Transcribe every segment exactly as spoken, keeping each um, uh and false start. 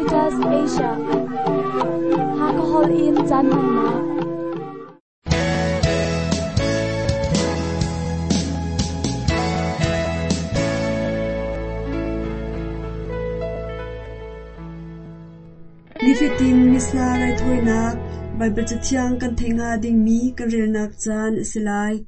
Adventist Asia. Hakahol in caan hmannak. Nifatin Missa raithawinak Baibal Cathiang kan theih hnga dingmi kan relnak caan a si lai.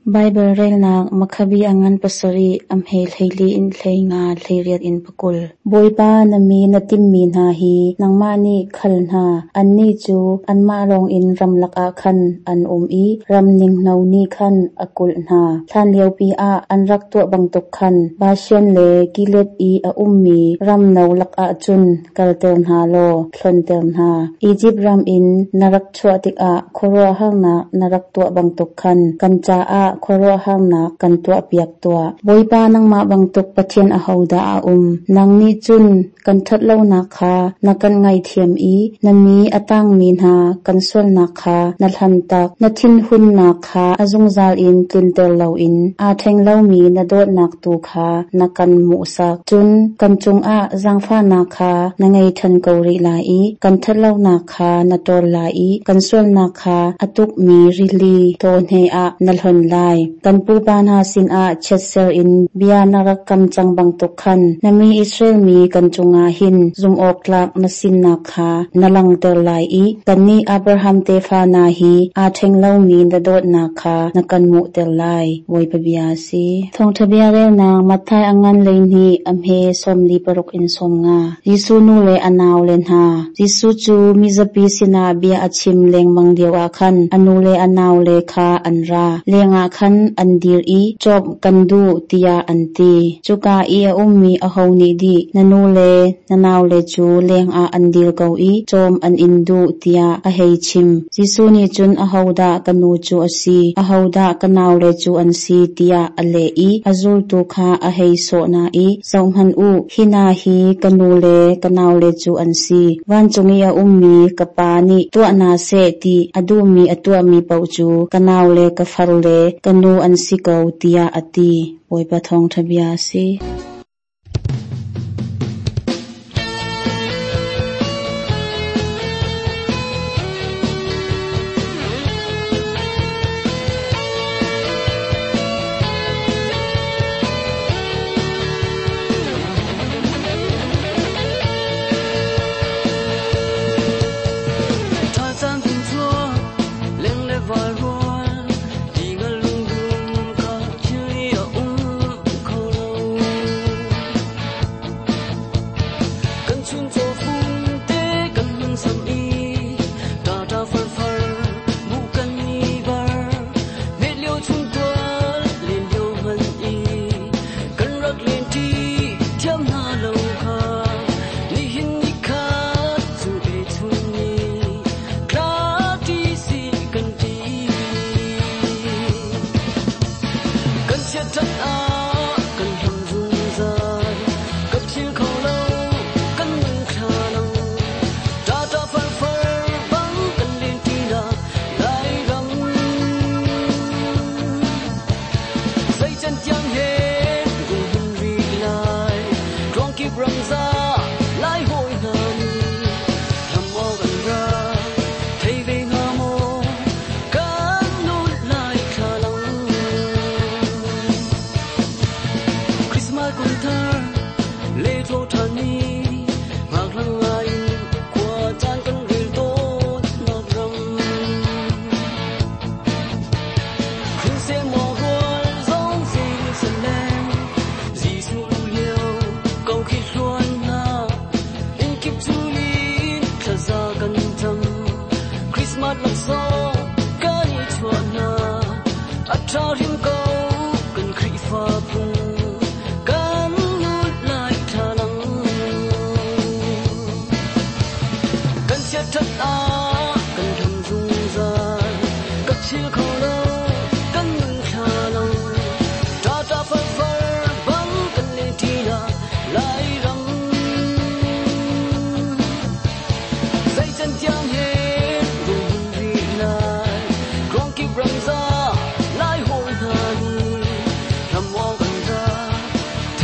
Baibal relnak Makhabi a ngan pasarih, a hme hleili in hleinga, hleiriat in pakul. Bawipa na mi na timmi hna hi nangmah nih khal hna. Annih cu anmah lawngin ramlak ah khan an um i ram ninghno nih khan a kulh hna. Hlan liopi ah an rak tuah bantuk khan Bashan le Gilead i a ummi ram no lakah cun kalter hna law hlonter hna. Izipt ram in na rak chuah tikah khuaruahharnak na rak tuah bantuk khan kan caah khuaruahharnak kan tuahpiak tuah. Bawipa nangmah bantuk Pathian ahodah a um? Nang nih cun kan ṭhatlonak kha na kan ngaihthiam i na mi a tangmi hna kan sualnak kha na hlantak. Na thinhunnak kha a zungzal in tlunter loin aa ṭheng lomi na dawtnak tu kha na kan hmuhsak. Cun kan cungah zaangfahnak kha na ngei ṭhan ko rih lai i kan ṭhatlonak kha na ṭawl lai i kan sualnak kha a tukmi rili tawne ah na hlonh lai. Kan pupa hna sinah chiatser in bia na rak kam cang bantuk khan na mi Israel mi kan cungah hin zumhawktlak na sinak kha na langhter lai i kannih Abraham tefa hna hi aa ṭheng lomi na dawtnak kha na kan hmuhter lai. Bawipa bia a si. Thawngṭha bia relnak Matthai a ngan hleihnih a hme sawmli paruk in sawm nga. Jesuh nu le a naule hna. Jesuh cu mizapi sinah bia a chim lengmang lioah khan a nu le a naule kha an ra. Lengah khan an dir i cawk kan duh tiah an ti. Cuka i a ummi aho nih dih na nu le na naule cu lengah an dir ko i cawm an in duh tiah a hei chim. Jesuh nih cun ahodah ka nu cu a si, ahodah ka naule cu an si tiah a leh i a zultu kha a hei sawh hna i zohhmanh u, hi hna hi ka nu le ka naule cu an si. Vancung i a ummi ka pa nih tuah hna seh ti a duhmi a tuahmi paoh cu ka naule ka far le ka nu an si ko tiah a ti. Bawipa thawngṭha bia a si.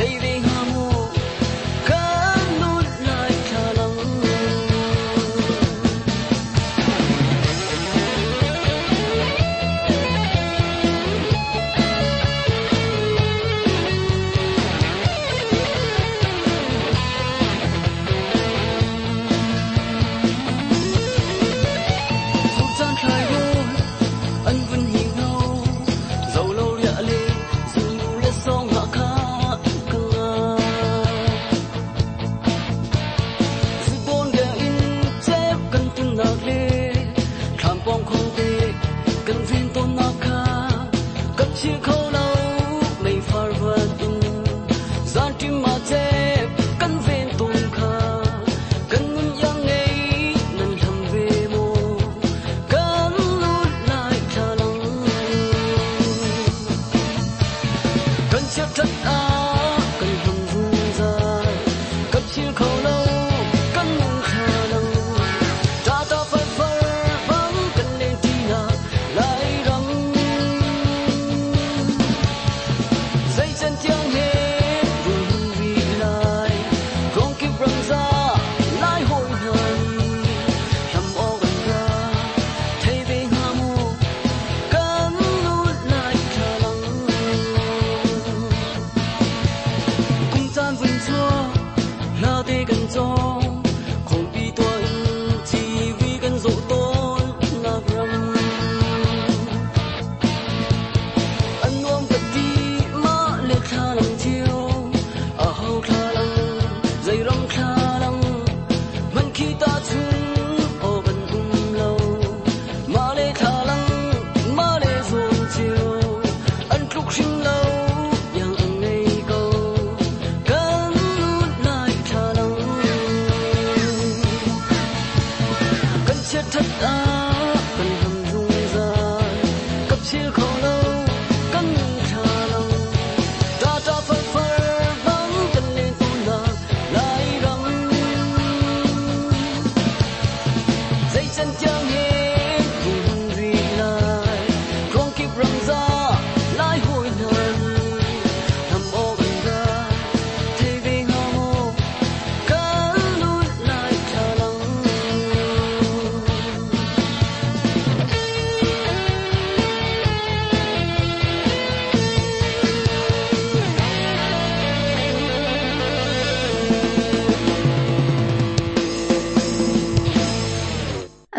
Thầy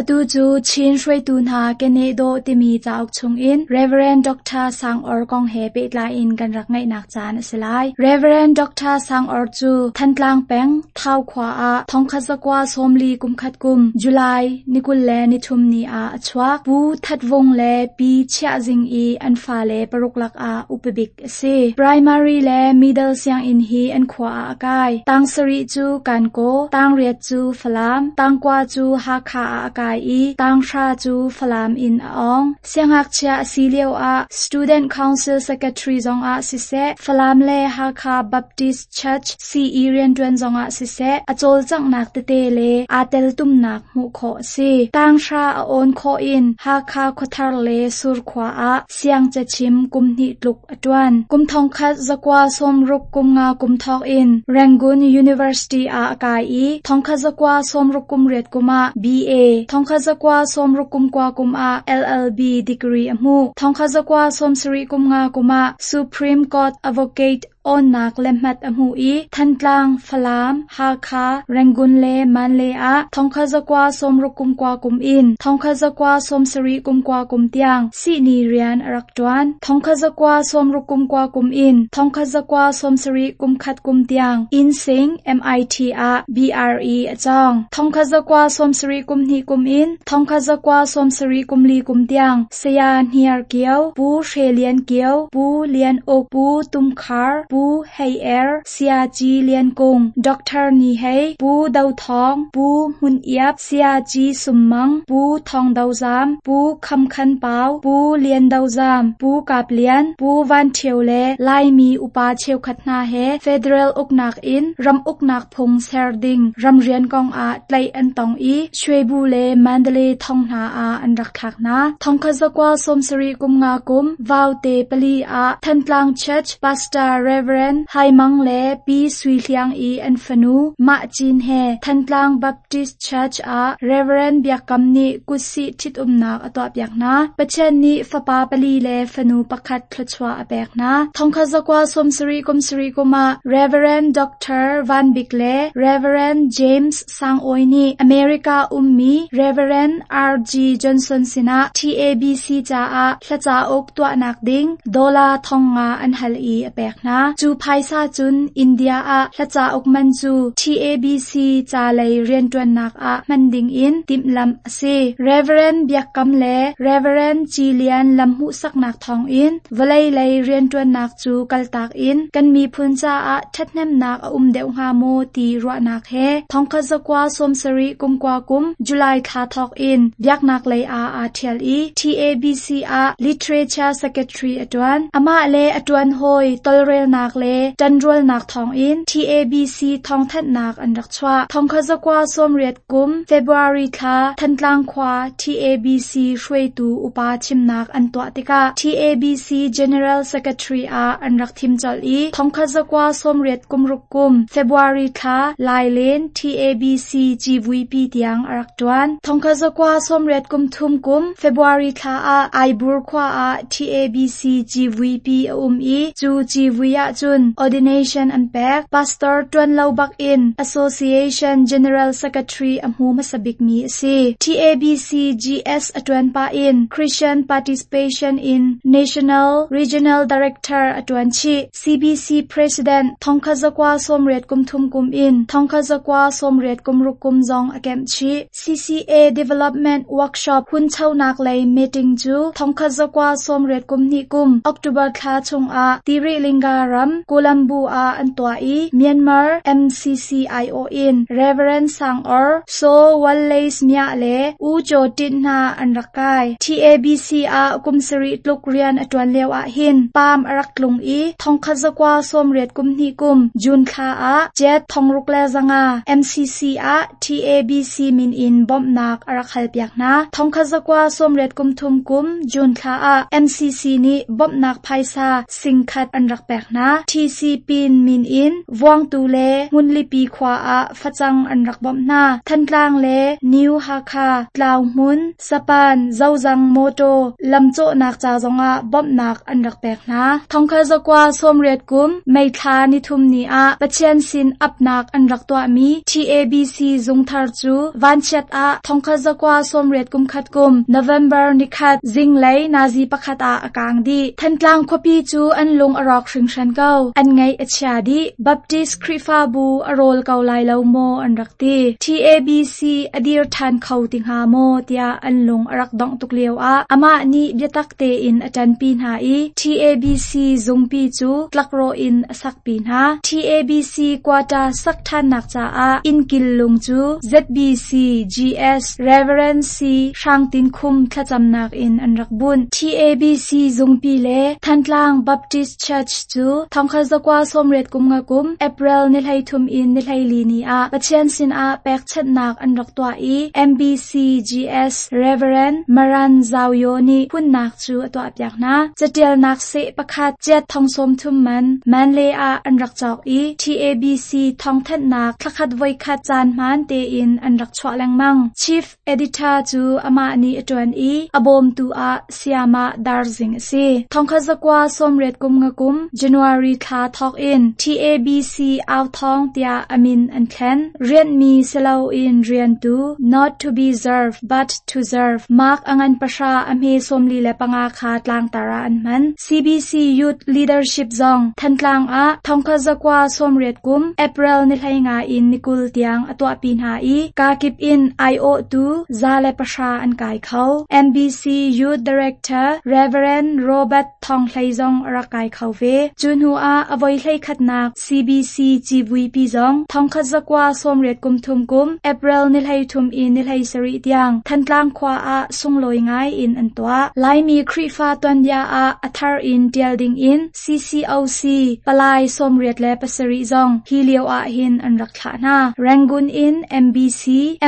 Atu cu Chin hruaitu hna keneh dawh timi cauk chungin Reverend Doctor Sang Awr kong he pehtlai in kan rak ngaihnak caan a si lai. Reverend Doctor Sang Awr cu Thantlang peng Thau khua ah thongkhat zakua sawmli kumkhat kum July ni kul le ni thum ni ah a chuak. Pu That Vung le Pi Chiah Zing i an fale paruk lakah upabik a si. Primary le middle sianginn hi an khua ah a kai. Tang sarih cu Kankaw, tang riat cu Falam, tangkua cu Hakha ah a kai i tanghra cu Falam in a ong. Siangngakchia a si lio ah Student Council Secretary zongah siseh, Falam le Hakha Baptist Church C E rianṭuan zongah siseh, a cawlcanghnak tete le aa teltumnak hmuh khawh a si. Tanghra a awn khawh in Hakha Khuathar le Surkhua ah siangcachim kum hnih tluk a ṭuan. Kum thongkhat zakua sawmruk kum nga kum thawk in Rangoon University ah a kai i thongkhat zakua sawmruk kum riat kum ah B A, thongkhat zakua sawmruk kum kua kum ah L L B degree a hmuh. Thongkhat zakua sawmsarih kum nga kum ah Supreme Court Advocate awnnak lehmat a hmuh i Thantlang, Falam, Hakha, Rangoon le Mandalay ah thongkhat zakua sawmruk kum kua kum in thongkhat zakua sawmsarih kum kua kum tiang sihni rian a rak ṭuan. Thongkhat zakua sawmruk kum kua kum in thongkhat zakua sawmsarih kum khat kum tiang Insein M I T ah B R E a cawng. Thongkhat zakua sawmsarih kum hnih kum in thongkhat zakua sawmsarih kum li kum tiang Saya Hniar Kio, Pu Hre Lian Kio, Pu Lian Uk, Pu Tum Khar, Pu Hei Er, Saya Ci Lian Kung, Doctor Ni Hei, Pu Do Thawng, Pu Hmun Iap, Saya Ci Sum Mang, Pu Thawng Do Zam, Pu Kham Khan Pau, Pu Lian Do Zam, Pu Kap Lian, Pu Van Ṭhio le Laimi upa cheukhat hna he Federal uknak in ram uknak phung ser ding ramrian kong ah tlaih an tong i Shwebu le Mandalay thong hna ah an rak thlak hna. Thongkhat zakua sawmsarih kum nga kum Vaute pali ah Thantlang Church Pastor Reverend Hai Mang le Pi Sui Hliang i an fanu Mah Cin he Thantlang Baptist Church ah Reverend Biak Kam nih kutsih ṭhitumnak a tuahpiak hna. Pathian nih fapa pali le fanu pakhat thluachuah a pek hna. Thongkhat zakua sawmsarih kum sarih kum ah Reverend Doctor Van Bik le Reverend James Sang Awi nih America ummi Reverend R G. Johnson sinah T A B C caah hla cauk tuahnak ding dollar thong nga an hal i a pek hna. Cu phaisa cun India ah hla cauk man cu T A B C ca lei rianṭuannak ah hman ding in timhlamh a si. Reverend Biak Kam le Reverend Ci Lian lam hmuhsaknak thawngin vawlei lei rianṭuannak cu kaltak in kan miphun caah ṭhathnemnak a um deuh hnga maw ti ruahnak he thongkhat zakua sawmsarih kum kua kum July thla thawk in biaknak lei ah aa ṭhial i T A B C ah Literature Secretary a ṭuan. Amah le a ṭuan hawi tolrelnak le ṭanrualnak thawngin T A B C thawngthanhnak an rak chuah. Thongkhat zakua sawmriat kum February thla Thantlang khua T A B C hruaitu upa thimnak an tuah tikah T A B C General Secretary ah an rak thim colh i thongkhat zakua sawmriat kum ruk kum February thla Lailen T A B C Civuipi tiang a rak ṭuan. Thongkhat zakua sawmriat kum thum kum February thla ah Aibur khua ah T A B C Civuipi a um i cu civui ah ahcun ordination an pek. Pastor ṭuan lo bakin Association General Secretary a hmu hmasa bikmi a si. TABC GS a ṭuan pah in Christian Participation in National Regional Director a ṭuan chih. CBC President thongkhat zakua sawmriat kum thum kum in thongkhat zakua sawmriat kum ruk kum zong a kemh chih. CCA Development Workshop hunchonak lei meeting cu thongkhat zakua sawmriat kum hnih kum October thla chungah Tirilinga ram Colombo ah an tuah i Myanmar MCCIO in Reverend Sang Or, Saw Wallace Mia le U Kyaw Htint hna an rak kai. TABC ah kum sarih tluk rian a ṭuan lio ahhin paam a rak tlung i thongkhat zakua sawmriat kum hnih kum June thla ah kyat thongruk le zanga MCC ah TABC min in bawmhnak a rak halpiak hna. Thongkhat zakua sawmriat kum thum kum June thla ah MCC nih bawmhnak phaisa singkhat an rak pek hna. TC Pin min in Vuangtu le Hmunlipi khua ah facang an rak bawmh hna. Thantlang le New Hakha, Tlauhmun, Sapan, Zozang Motor lamcawhnak ca zongah bawmhnak an rak pek hna. Thongkhat zakua sawmriat kum May thla nithum ni ah Pathian sin apnak an rak tuahmi TABC zungthar cu vanchiat ah thongkhat zakua sawmriat kum khat kum November nikhat zinglei nazi pakhat ah a kaang dih. Thantlang khuapi cu an lung a rawk hringhran ko. An ngaih a chia dih. Baptist Khrihfabu a rawl ko lai lo maw an rak ti. TABC a dir ṭhan kho ti hnga maw tiah an lung a rak dongh tuk lio ah amah nih biatak tein a ṭanpi hna i TABC zungpi cu tlakrawh in a sakpi hna. TABC quarter sak ṭhannak caah innkil lung cu ZBC GS Reverend C Hrangtin Khum thlacamnak in an rak bunh. TABC zungpi le Thantlang Baptist Church cu thongkhat zakua sawmriat kum nga kum April ni hleithum in ni hleili ni ah Pathian sinah pekchanhnak an rak tuah i MBC GS Reverend Maran Zawyo nih hunnak cu a tuahpiak hna. Catialnak seh pakhat kyat thong sawm thum man Manle ah an rak cawk i TABC thawngthanhnak thlakhat voikhat caan hmaan tein an rak chuah lengmang. Chief Editor cu amah nih a ṭuan i a bawmtu ah Sayamah Darzing a si. Thongkhat zakua sawmriat kum nga kum January thla thawk in TABC Authawng tiah a min an thlen. Rianhmi si loin riantu not to be served but to serve Mark a ngan pahra a hme sawmli le panga kha tlangtar ah an hman. CBC Youth Leadership zong Thantlang ah thongkhat zakua sawmriat kum April ni hleinga in nikul tiang a tuahpi hna i kakip in aiawhtu za le pahra an kai kho. MBC Youth Director Reverend Robert Thong Hlei zong a rak kai kho ve. Cu hnu ah a voi hlei khatnak CBC civuipi zong thongkhat zakua sawmriat kum thum kum April ni hlei thum in ni hlei sarih tiang Thantlang khua ah sunglawi ngai in an tuah. Laimi Khrihfa tuanbia ah a thar in ṭial ding in CCOC palai sawmriat le pasarih zong hi lio ah hin an rak thlah hna. Rangoon in MBC,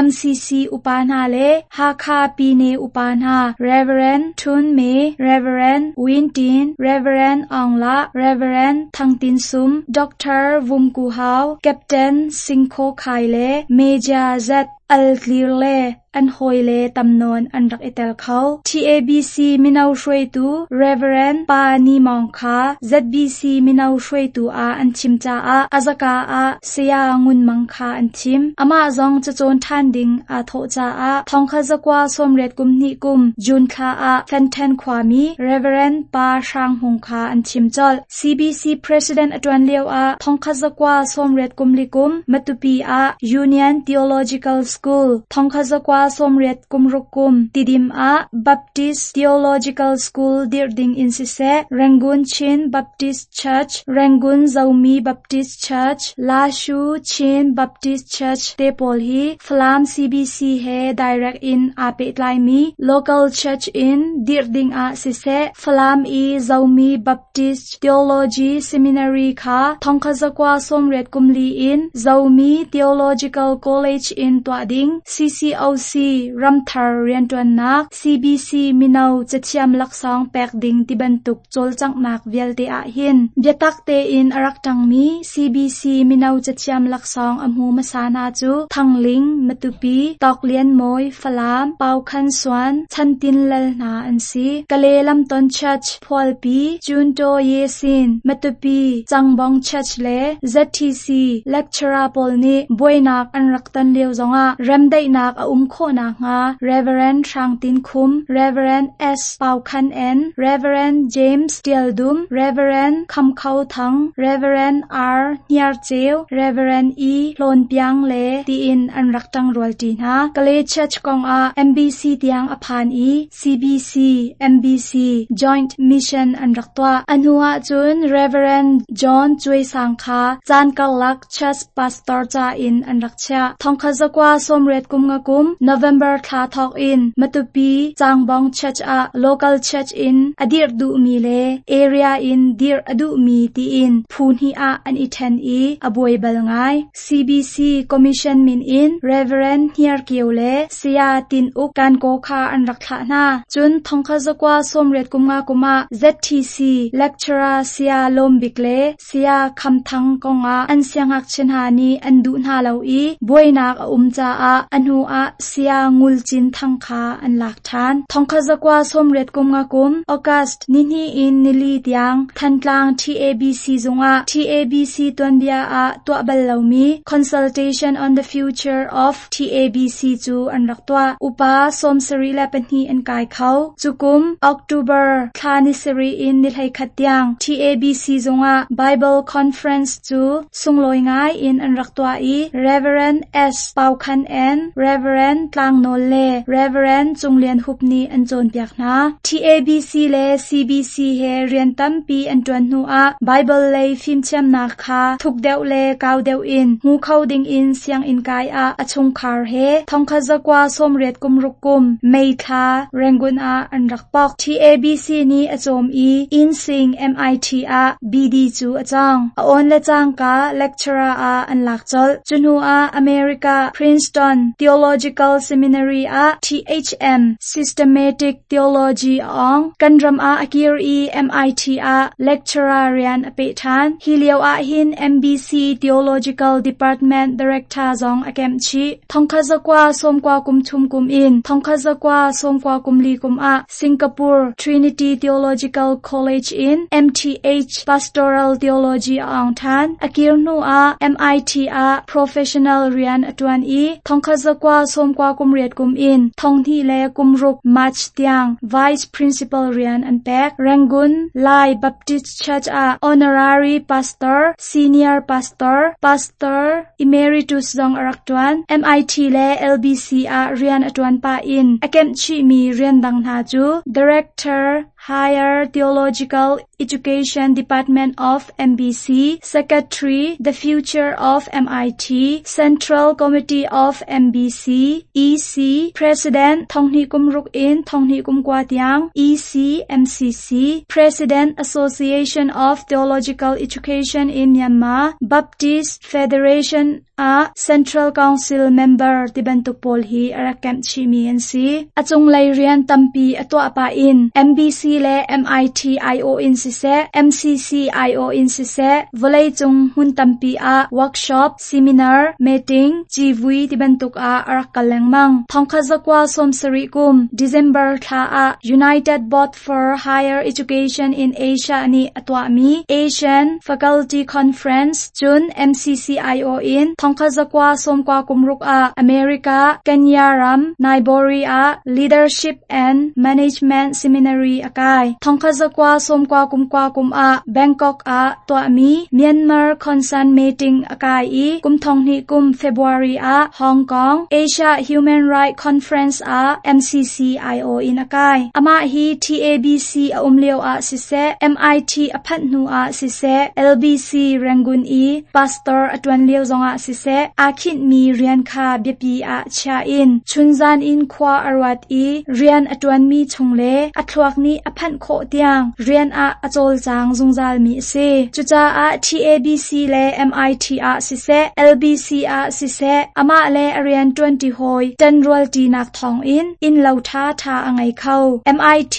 MCC upa hna le Hakha Pine upa hna Reverend Thun Me, Reverend Win Tin, Reverend Aung La, Reverend Thang Tin Sum, Dr. Vum Ku Hau, Captain Sing Kho Khai le Major Z Al Clear le an hawi le tamnawn an rak i tel kho. TABC mino hruaitu Reverend Pa Ni Mawng kha ZBC mino hruaitu ah an thim caah azaka ah Saya Ngun Mang kha an thim. Amah zong cacawn ṭhan ding aa thawh caah thongkhat zakua sawmriat kum hnih kum June thla ah Fenthen khuami Reverend Pa Hrang Hmung kha an thim colh. CBC President a ṭuan lio ah thongkhat zakua sawmriat kum li kum Matupi ah Union Theological School thongkhat zakua sawmriat kum ruk kum Tidim ah Baptist Theological School dirh ding in siseh Rangoon Chin Baptist Church, Rangoon Zomi Baptist Church, Lashu Chin Baptist Church te pawl hi Falam CBC he direct in aa pehtlaimi local church in dirh ding ah siseh Falam i Zomi Baptist Theology Seminary kha thongkhat zakua sawmriat kum li in Zomi Theological College in tuah tuah ding, CCOC ramthar rianṭuannak, CBC mino cathiam laksawng pek ding tibantuk cawlcanghnak vialte ahhin biatak tein a rak ṭangmi CBC mino cathiam laksawng a hmu hmasa hna cu Thangling, Matupi, Tawk Lian Mawi, Falam, Pau Khan Suan, Chan Tin Lal hna an si. Kale Lamton Church, Phualpi, Junto Yesin, Matupi, Changbong Church le ZTC lecturer pawl nih buainak an rak ton lio zongah remdaihnak a um khawhnak hnga Reverend Hrang Tin Khum, Reverend S. Pau Khan En, Reverend James Tial Dum, Reverend Kham Khau Thang, Reverend R. Hniar Ceu, Reverend E. Hlawn Piang le tiin an rak ṭang rualṭi hna. Kale Church kongah MBC tiang a phan i CBC, MBC Joint Mission an rak tuah. A hnu ahcun Reverend John Cuai Sang kha caan karlak Church Pastor ca in an rak chiah. Thongkhat zakua sawmriat kum nga kum November thla thawk in Matupi Changbong Church ah local church in a dirh duhmi le area in dirh a duhmi tiin phu hnih ah an i ṭhen i a buai bal ngai. CBC Commission min in Reverend Hniar Kio le Saya Tin Uk Kanko kha an rak thlah hna. Cun thongkhat zakua sawmriat kum nga kum ah ZTC lecturer Saya Lawm Bik le Saya Kham Thang kongah an siangngakchia hna nih an duh hna lo i buainak a um caah a hnu ah Saya Ngul Cin Thang kha an lak ṭhan. Thongkhat zakua sawmriat kum nga kum August nihnih in nili tiang Thantlang TABC zungah TABC tuanbia ah tuah bal lomi Consultation on the Future of TABC cu an rak tuah. Upa sawmsarih le pahnih an kai kho. Cukum October thla ni sarih in ni hleikhat tiang TABC zungah Bible Conference cu sunglawi ngai in an rak tuah i Reverend S. Pau Khan En, Reverend Tlang Nawl le Reverend Cung Lian Hup nih an cawnpiak hna. TABC le CBC he rian tampi an ṭuan hnu ah Bible lei fimthiamnak kha thuk deuh le kau deuh in hmu kho dingin sianginn kai ah a chungkhar he thongkhat zakua sawmriat kum ruk kum May thla Rangoon ah an rak pok. TABC nih a cawm i Insing MIT ah BD cu a cawng. A awn le cangka lecturer ah an lak colh. Cu hnu ah America Princeton Theological Seminary ah THM Systematic Theology a awng. Kan ram ah a kir i MIT ah lecturer rian a peh ṭhan. Hi lio ahhin MBC Theological Department Director zong a kemh chih. Thongkhat zakua sawmkua kum thum kum in thongkhat zakua sawmkua kum li kum ah Singapore Trinity Theological College in MTH Pastoral Theology a awng ṭhan. A kir hnu ah MIT ah professional rian a ṭuan i thongkhat zakua sawmkua kum riat kum in thonghnih le kum ruk March tiang Vice Principal rian an pek. Rangoon Lai Baptist Church ah Honorary Pastor, Senior Pastor, Pastor Emeritus zong a rak ṭuan. MIT le LBC ah rian a ṭuan pah in a kemh chihmi rian dang hna cu Director Higher Theological Education Department of MBC, Secretary The Future of MIT, Central Committee of MBC, EC, President Thonghnih kum ruk in Thonghnih kum kua tiang, EC MCC, President Association of Theological Education in Myanmar, Baptist Federation ah Central Council member ti bantuk pawl hi a rak kemh chihmi an si. A cunglei rian tampi a tuah pah in MBC le MIT IO in siseh, MCC IO in siseh, vawleicung hmun tampi ah workshop, seminar, meeting, civui ti bantuk ah a rak kal lengmang. Thongkhat zakua sawmsarih kum December thla ah United Board for Higher Education in Asia nih a tuahmi Asian Faculty Conference cun MCCIO in thongkhat zakua sawmkua kum ruk ah America, Kenya ram, Nairobi ah Leadership and Management Seminary a kai. Thongkhat zakua sawmkua kum kua kum ah Bangkok ah tuahmi Myanmar Concern Meeting a kai i kum thonghnih kum February ah Hong Kong Asia Human Rights Conference ah MCCIO in a kai. Amah hi TABC a um lio ah siseh, MIT a phanh hnu ah siseh, LBC Rangoon i pastor a ṭuan lio zongah siseh, siseh aa khinhmi rian kha biapi ah chia in chunzan in khua a ruat i rian a ṭuanmi chung le a thluak nih a phanh khawh tiang rian ah a cawlcang zungzalmi a si. Cucaah TABC le MIT ah siseh, LBC ah siseh, amah le a rian ṭuanṭi hawi ṭanrualṭinak thawngin innlo ṭhaṭha a ngei kho. MIT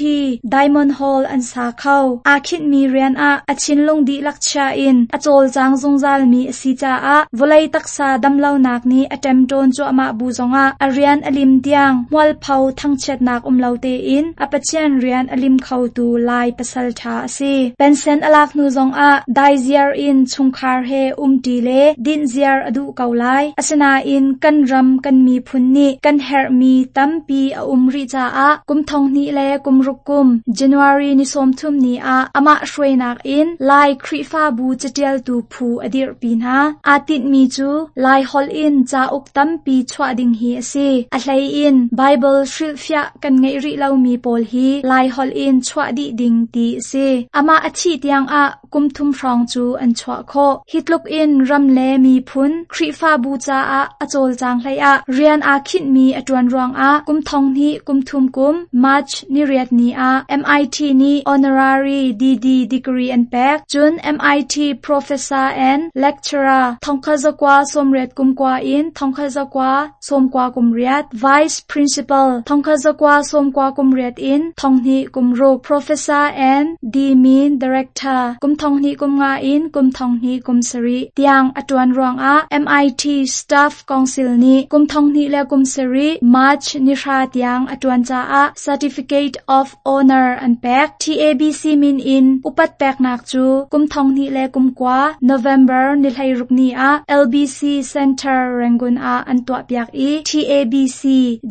Diamond Hall an sa kho. Aa khinhmi rian ah a thinlung dihlak chia in a cawlcang zungzalmi a si caah vawlei taksa damlonak nih a ṭemṭawn cuahmah bu zongah a rian a lim tiang hmualpho thangchiatnak um lo tein a Pathian rian a lim khotu Lai pasal ṭha a si. Pensen a lak hnu zongah daiziar in chungkhar he umṭi le dinhziar a duh ko lai. Asinain kan ram kan miphun nih kan herhmi tampi a um rih caah kum thong hnih le kum ruk kum January ni sawmthum ni ah amah hruainak in Lai Khrihfabu caṭialtu phu a dirhpi hna. Aa tinhmi cu Lai holh in cauk tampi chuah ding hi a si. A hlei in Baibal hrilhfiah kan ngeih rih lomi pawl hi Lai holh in chuah dih ding ti a si. Amah a thih tiangah kum thum hrawng cu an chuah khawh. Hi tluk in ram le miphun Khrihfabu caah a cawlcang hlei ah rian aa khinhmi a ṭuan ruangah kum thong hnih kum thum kum March ni riat ni ah MIT nih honorary DD degree an pek. Cun MIT Professor and Lecturer thongkhat zakua sawmriat kum kua in thongkhat zakua sawmkua kum riat, Vice Principal thongkhat zakua sawmkua kum riat in thonghnih kum ruk, Professor and D-Min Director kum thonghnih kum nga in kum thonghnih kum sarih tiang a ṭuan ruangah MIT Staff Council nih kum thonghnih le kum sarih March ni hra tiang a ṭuan caah Certificate of Honor an pek. TABC min in upat peknak cu kum thonghnih le kum kua November ni hleiruk ni ah LBC Center Rangoon ah an tuahpiak i TABC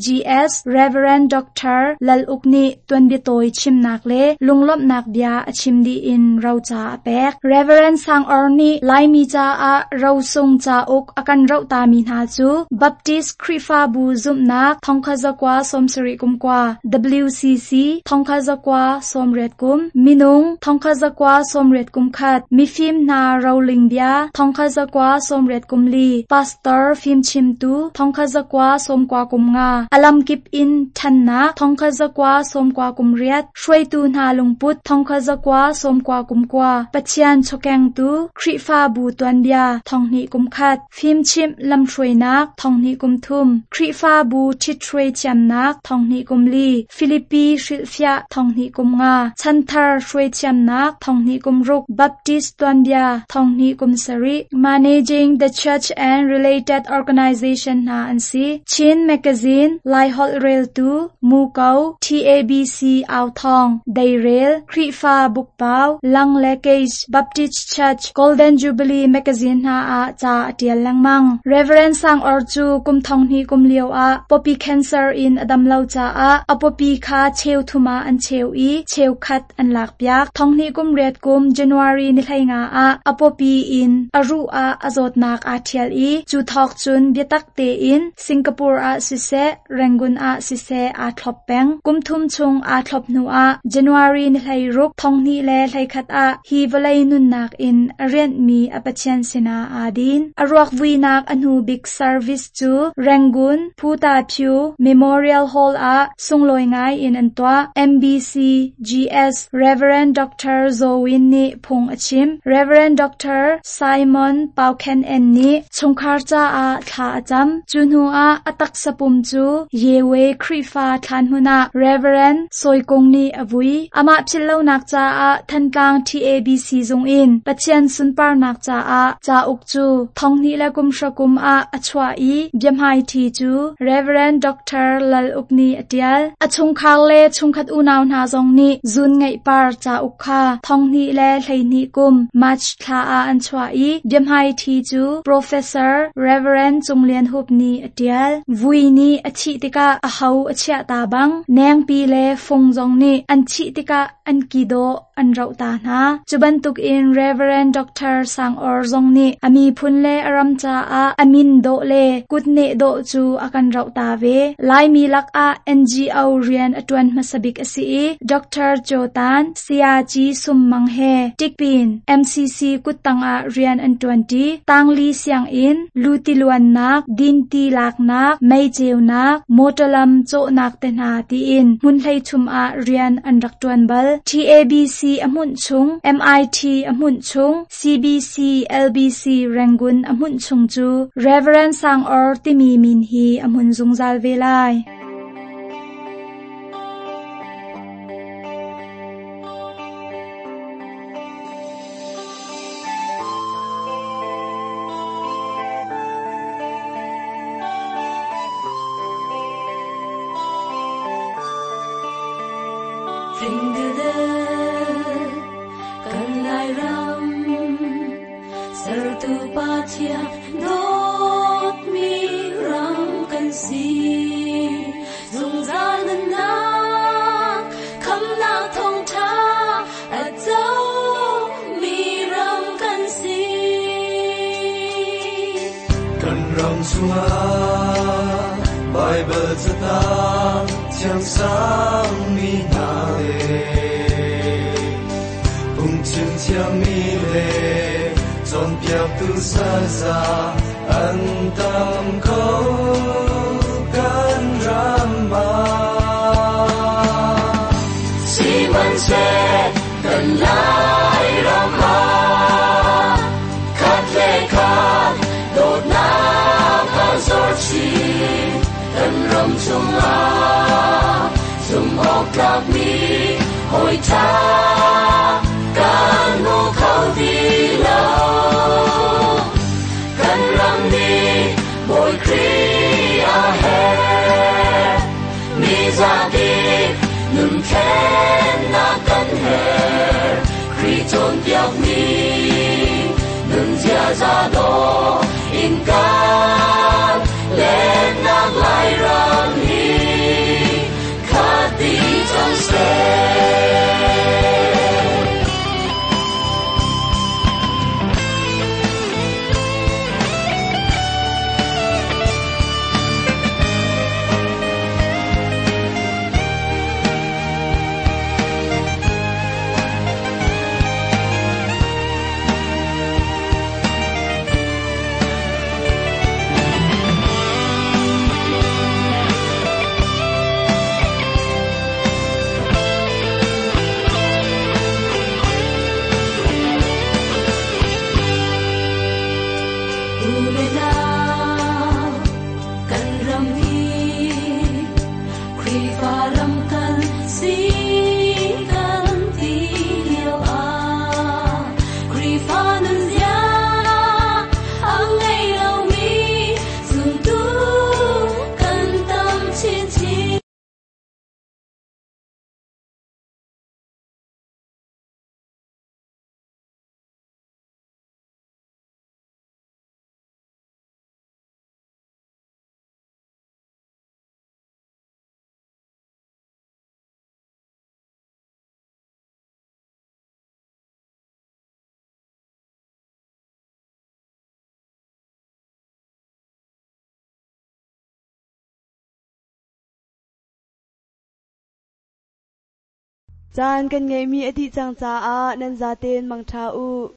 GS Reverend Doctor Lal Uk nih tuanbia tawi chimnak le lunglawmhnak bia a chim dih in roca a pek. Reverend Sang Awr nih Laimi caah rosung cauk a kan rohtami hna cu Baptist Khrihfabu zumhnak thongkhat zakua sawmsarih kum kua, WCC thongkhat zakua sawmriat kum, minung thongkhat zakua sawmriat kum khat, mifim hna roling bia thongkhat zakua sawmriat kum li, pastor fimchimtu thongkhat zakua sawmkua kum nga, alam kip in ṭhannak thongkhat zakua sawmkua kum riat, hruaitu hna lungput thongkhat zakua sawmkua kum kua, Pathian chawkengtu Khrihfabu tuanbia thonghnih kum khat, fimchimh lamhruainak thonghnih kum thum, Khrihfabu ṭhithruai thiamnak thonghnih kum li, Filipi hrilhfiah thonghnih kum nga, chanthar hruai thiamnak thonghnih kum ruk, Baptist tuanbia thonghnih kum sarih, Managing the Church and Related Organization hna an si. Chin Magazine, Lai Holh Reltu, Muko, TABC Authong, Deirel, Khrihfa Bukpau, Lang le Case, Baptist Church, Golden Jubilee Magazine hna ah ca a ṭial lengmang. Reverend Sang Awr cu kum thonghnih kum lio ah popi cancer in a dam lo caah a popi kha cheu thum ah an cheu i cheu khat an lakpiak. Thonghnih kum riat kum January ni hlei nga ah a popi in a ruh ah a zawtnak aa ṭhial i cu thawk cun biatak tein Singapore ah siseh, Rangoon ah siseh aa thlop peng. Kum thum chung aa thlop hnu ah January ni hlei ruk thonghnih le hleikhat ah hi vawlei nunnak in a rianhmi a Pathian sinah aa din. A ruak vuinak a hnu bik service cu Rangoon Phuta Phyu Memorial Hall ah sunglawi ngai in an tuah. MBC GS Reverend Doctor Zawin nih phung a chim. Reverend Doctor Simon Pau Khen En nih chungkhar caah thla a cam. Cu hnu ah a taksa pum cu Yewe Khrihfa thlan hmun ah Reverend Sawi Kung nih a vui. Amah philhlonak caah Thantlang TABC zung in Pathian sunparnak caah cauk cu thonghnih le kum hra kum ah a chuah i biahmaiṭhi cu Reverend Doctor Lal Uk nih a ṭial. A chungkhar le chungkhat unau hna zong nih zun ngeih par cauk kha thonghnih le hleihnih kum March thla ah an chuah i biahmaiṭhi cu Professor Reverend Cung Lian Hup nih a ṭial. Vui nih a thih tikah a ho a chiah ta bang, nengpi le fung zong nih an thih tikah an ki dawh an roh ta hna. Cu bantukin Reverend Doctor Sang Awr zong nih a miphun le a ram caah a min dawh le kutneh dawh cu a kan roh ta ve. Laimi lakah N G O rian a ṭuan hmasa bik a si i Doctor Cho Tan, Sayaci Sum Mang he Tikpin M C C kuttang ah rian an ṭuanṭi. Tangli sianginn, lutiluannak, dinti laknak, mei ceunak, motor lam cawhnak te hna tiin hmun hleithum ah rian an rak ṭuan bal. T A B C a hmunh chung, M I T a hmunh chung, C B C L B C Rangoon a hmunh chung cu Reverend Sang Awr timi min hi a hmun zungzal ve lai. Kan Lairam sertu Pathian dawtmi ram kan si zungzal nunnak khamnak thawngtha a co mi ram kan si. Kan ram chungah Bible catang thiang sang mi hna le phungchim thiammi le cawnpiaktu saza an tam ko kan ram ah. Sihmanhseh kan Lairam ah khat le khat dawtnak a zor chin kan ram chungah zumh awk tlakmi hawi ṭha kan hmu kho ti lo. Kan ram nih Bawi Khrih a herh mi zapi nun thlennak kan herh Khrih cawnpiakmi nun ziaza dawh in kan lennak Lairam hi khat dih cang seh. U le nau kan ram hi Khrihfa ram kan si kan ti lio ah Khrihfa nunzia a ngei lomi zumtu kan tam chinchin. Caan kan ngeihmi a dih cang caah nan zaten mangṭha u.